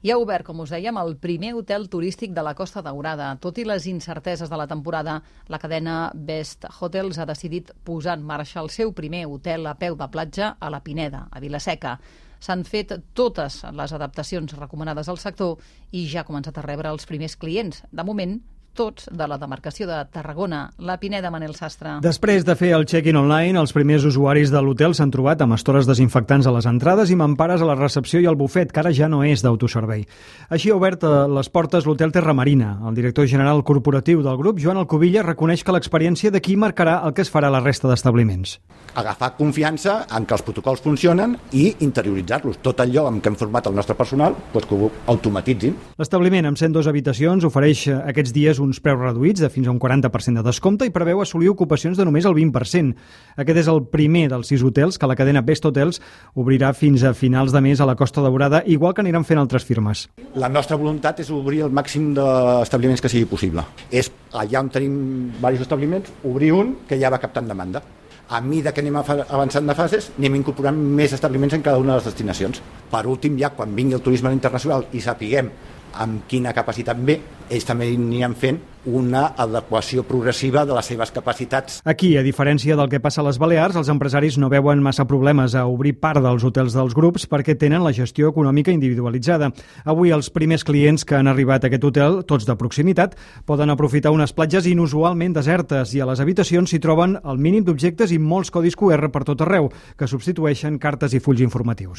I ha obert, com us dèiem, el primer hotel turístic de la Costa Daurada. Tot i les incerteses de la temporada, la cadena Best Hotels ha decidit posar en marxa el seu primer hotel a peu de platja a la Pineda, a Vila-seca. S'han fet totes les adaptacions recomanades al sector i ja ha començat a rebre els primers clients. De moment, tots de la demarcació de Tarragona. La Pineda, Manel Sastre. Després de fer el check-in online, els primers usuaris de l'hotel s'han trobat amb estores desinfectants a les entrades i mampares a la recepció i al bufet, que ara ja no és d'autoservei. Així ha obert les portes l'hotel Terra Marina. El director general corporatiu del grup, Joan Alcubilla, reconeix que l'experiència d'aquí marcarà el que es farà a la resta d'establiments. Agafar confiança en que els protocols funcionen i interioritzar-los. Tot allò amb què hem format el nostre personal, doncs que ho automatitzin. L'establiment, amb 102 habitacions, ofereix aquests dies uns preus reduïts de fins a un 40% de descompte i preveu assolir ocupacions de només el 20%. Aquest és el primer dels 6 hotels que la cadena Best Hotels obrirà fins a finals de mes a la Costa Daurada, igual que aniran fent altres firmes. La nostra voluntat és obrir el màxim d'establiments que sigui possible. És allà on tenim diversos establiments, obrir un que ja va captant demanda. A mesura que anem avançant de fases, anem incorporant més establiments en cada una de les destinacions. Per últim, ja quan vingui el turisme internacional i sapiguem amb quina capacitat ve, ells també aniran fent una adequació progressiva de les seves capacitats. Aquí, a diferència del que passa a les Balears, els empresaris no veuen massa problemes a obrir part dels hotels dels grups perquè tenen la gestió econòmica individualitzada. Avui els primers clients que han arribat a aquest hotel, tots de proximitat, poden aprofitar unes platges inusualment desertes i a les habitacions s'hi troben el mínim d'objectes i molts codis QR per tot arreu, que substitueixen cartes i fulls informatius.